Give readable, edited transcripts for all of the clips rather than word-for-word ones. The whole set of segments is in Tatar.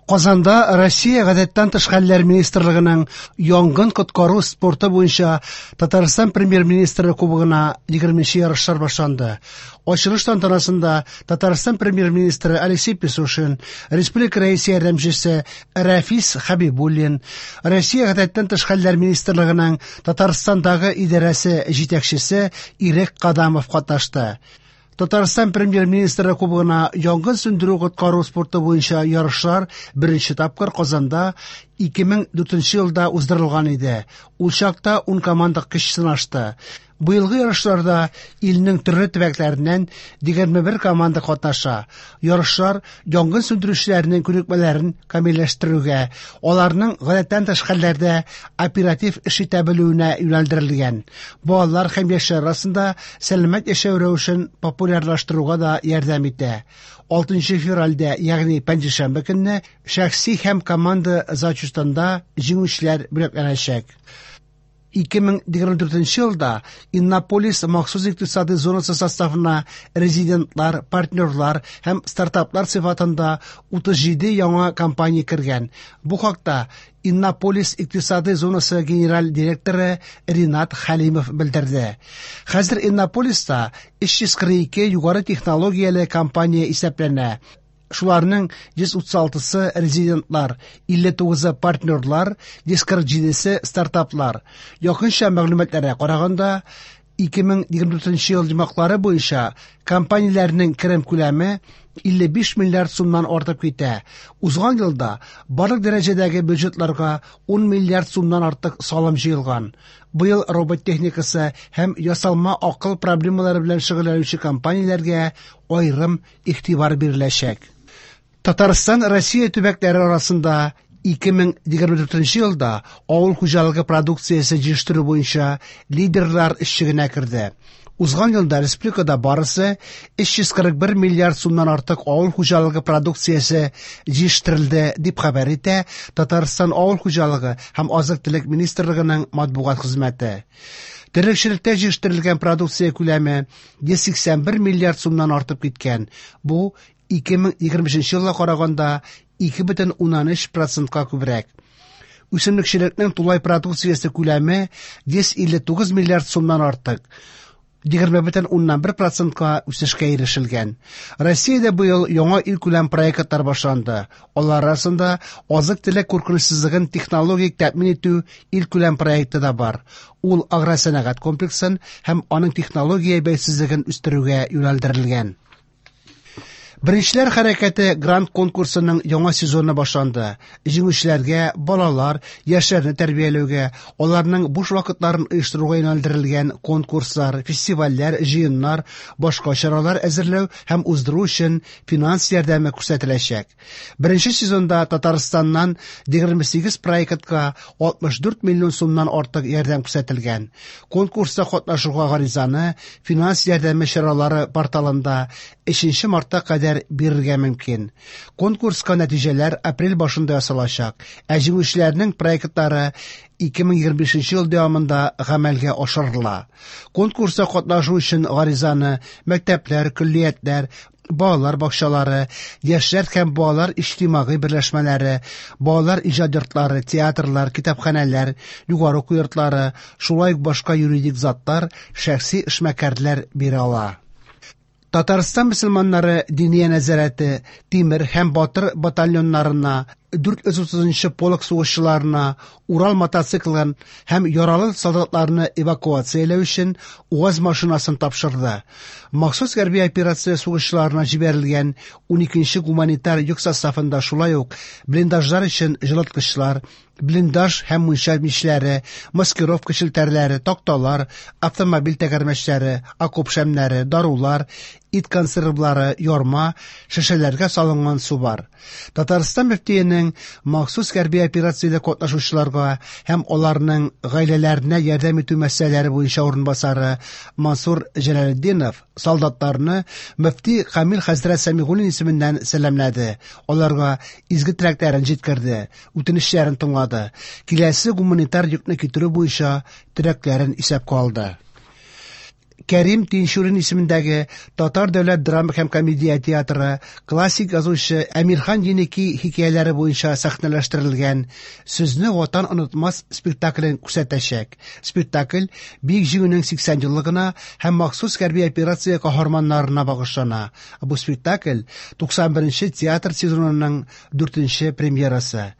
Казанда Россия гадәттән тыш хәлләр министрлыгының янгын коткару спорты буенча Татарстан премьер-министры кубогына 20 ярышлар башланды. Ачылыш тантанасында Татарстан премьер-министры Алексей Песошин, республика рәисе ярдәмчесе Рәфис Хәбибуллин, Россия гадәттән тыш хәлләр министрлыгының Татарстандагы идарәсе җитәкчесе Ирек Кадамов катнашты. Татарстан премьер-министры кубогына янгын сүндерү-коткару спорты буенча ярышлар беренче тапкыр Казанда 2004 елда уздырылган иде. Ул чакта 10 команда көч сынашты. Быелгы ярышларда илнең төрле төбәкләреннән 21 команда катнаша. Ярышлар янгын сүндерүчеләрнең күнекмәләрен камилләштерүгә, аларның гадәттән тыш хәлләрдә оператив эш итә белүенә юнәлдерелгән. Балалар һәм яшьләр арасында сәламәт яшәү рәвешен популярлаштыруга да ярдәм итә. 6 февральдә, ягъни пәнҗешәмбе көнне, шәхси һәм команда зачетында җиңүчеләр бүләкләнәчәк. 2024 елда Иннополис махсус икътисади зонасы составына резидентлар, партнерлар һәм стартаплар сыйфатында 37 яңа компания кергән. Бу хакта Иннополис икътисади зонасы генераль директоры Ринат Хәлимов белдерде. Хәзер Иннополиста 342 югары технологияле компания исәпләнә. Шуларның 136-сы резидентлар, 59-ы партнерлар, 147-се стартаплар. Якынча мәгълүматларга караганда, 2024 ел йомгаклары буенча компанияләрнең керем күләме 55 миллиард сумнан артып китә. Узган елда барлык дәрәҗәдәге бюджетларга 10 миллиард сумнан артык салым җыелган. Быел робот техникасы һәм ясалма акыл проблемалары белән шөгыльләнүче компанияләргә аерым игътибар биреләчәк. Татарстан Россия төбәкләре арасында 2024 елда авыл хуҗалыгы продукциясе җитештерү буенча лидерлар өчлегенә керде. Узган елда республикада барысы 341 миллиард сумнан артык авыл хуҗалыгы продукциясе җитештерелде, дип хәбәр итә Татарстан авыл хуҗалыгы һәм азык-төлек министрлыгының матбугат хезмәте. Терлекчелектә җитештерелгән продукция күләме 181 миллиард сумнан артып киткән. Бу 2025 елга караганда 2,3%-ка күбрәк. Үсемлекчелекнең тулай продукциясе күләме 159 миллиард сумнан артык. 20,1%-ка үсешкә ирешелгән. Россиядә быел яңа илкүләм проектлар башланды. Алар арасында азык-төлек куркынычсызлыгын технологик тәэмин итү илкүләм проекты да бар. Ул агросәнәгать комплексын һәм аның технология бәйсезлеген үстерүгә юнәлдерелгән. Беренчеләр хәрәкәте грант конкурсының яңа сезоны башланды. Җиңүчеләргә балалар, яшьләрне тәрбияләүгә, аларның буш вакытларын оештыруга юнәлдерелгән конкурслар, фестивальләр, җыеннар, башка чаралар әзерләү һәм уздыру өчен финанс ярдәме күрсәтеләчәк. Беренче сезонда Татарстаннан 28 проектка 64 миллион сумнан артык ярдәм күрсәтелгән. Конкурста катнашуга гаризаны финанс ярдәме чаралары порталында 3 мартка кадәр бирергә мөмкин. Конкурска нәтиҗәләр апрель башында ясалачак, ә җиңүчеләрнең проектлары 2025 ел дәвамында гамәлгә ашырыла. Конкурста катнашу өчен гаризаны мәктәпләр, көллиятләр, балалар бакчалары, яшьләр һәм балалар иҗтимагый берләшмәләре, балалар иҗат йортлары, театрлар, китапханәләр, югары уку йортлары, шулай ук башка юридик затлар, шәхси эшмәкәрләр бирә ала. Татарстан мөселманнары Диния нәзарәте Тимер һәм Батыр батальоннарына, 430 полк сугышчыларына Урал мотоциклын һәм яралы солдатларны эвакуацияләү өчен УАЗ машинасын тапшырды. Махсус хәрби операция сугышчыларына җибәрелгән 12 гуманитар йөк составында шулай ук блиндажлар өчен җылыткычлар, блиндаж һәм мунча мичләре, маскировка челтәрләре, такталар, автомобиль тәгәрмәчләре, окоп шәмнәре, дарулар, ит консервлары, ярма, шешәләргә салынган су бар. Татарстан мөфтиенең махсус хәрби операциядә катнашучыларга һәм аларның гаиләләренә ярдәм итү мәсьәләләре буенча урынбасары Мансур Җәләлетдинов солдатларны мөфти Камил хәзрәт Сәмигуллин исеменнән сәламләде. Аларга изге теләкләрен җиткерде, үтенечләрен тыңлады. Киләсе гуманитар йөкне китерү буенча теләкләрен исәпкә алды. Кәрим Тинчурин исемендәге Татар дәүләт драма һәм комедия театры классик язучы Әмирхан Еники хикәяләре буенча сәхнәләштерелгән Сезне Ватан онытмас спектаклен күрсәтәчәк. Спектакль Бөек Җиңүнең 80 еллыгына һәм махсус хәрби операция каһарманнарына багышлана. Бу спектакль 91 нче театр сезонының дүртенче премьерасы.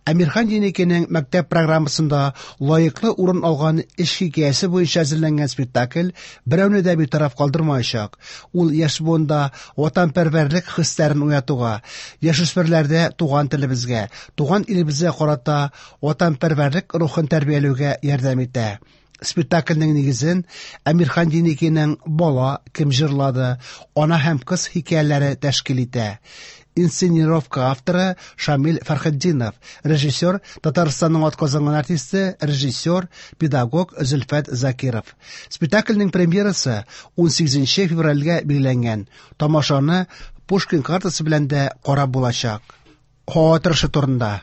Әмирхан Еникинең мәктәп программасында лаеклы урын алган эш хикәясе буенча әзерләнгән спектакль берәүне дә битараф калдырмаячак. Ул яшь буында ватанпәрвәрлек хисләрен уятуга, яшүсмерләрдә туган телебезгә, туган илебезгә карата ватанпәрвәрлек рухын тәрбияләүгә ярдәм итә. Спектакльнең нигезен Әмирхан Еникинең Бала, кем җырлады, Ана һәм кыз хикәяләре тәшкил итә. Инсценировка авторы Шамил Фәрхетдинов, режиссер Татарстанның атказанган артисты, режиссер, педагог Зөлфәт Закиров. Спектакльнең премьерасы 18 февральгә билгеләнгән. Тамашаны Пушкин картасы белән дә карап булачак. Һава торышы турында.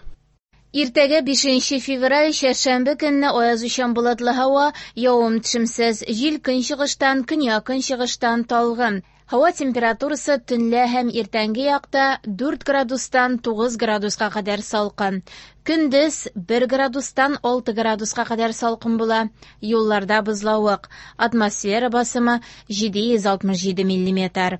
Иртәгә 5 февраль чәршәмбе көнне аязучан болытлы һава, явым-төшемсез, җил көнчыгыштан, көньяк-көнчыгыштан талгын. Һава температурасы төнлә һәм иртәнге якта 4 градустан 9 градуска кадәр салкын. Көндез 1 градустан 6 градуска кадәр салкын була. Юлларда бозлавык. Атмосфера басымы 767 миллиметр.